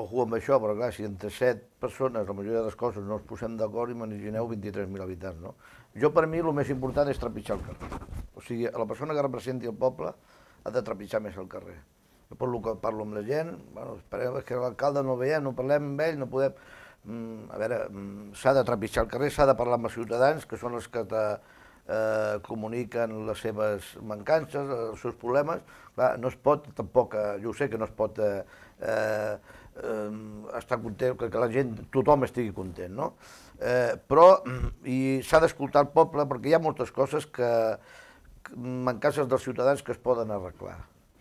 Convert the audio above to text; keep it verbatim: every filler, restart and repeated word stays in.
ojo amb això, però clar, si entre set persones la majoria de les coses no ens posem d'acord, imagineu vint-i-tres mil habitants, no? Jo, per mi, el més important és trepitjar el carrer. O sigui, la persona que representi el poble ha de trepitjar més el carrer. Jo per lo que parlo amb la gent, bueno, esperem que l'alcalde no el veiem, no parlem amb ell, no podem... Mm, a veure, mm, s'ha de trepitjar el carrer, s'ha de parlar amb els ciutadans, que són els que te, eh, comuniquen les seves mancances, els seus problemes. Clar, no es pot, tampoc, eh, jo sé que no es pot eh, eh, eh, estar content, que, que la gent, tothom estigui content, no? Eh, però i s'ha d'escoltar el poble perquè hi ha moltes coses que, mancances dels ciutadans que es poden arreglar.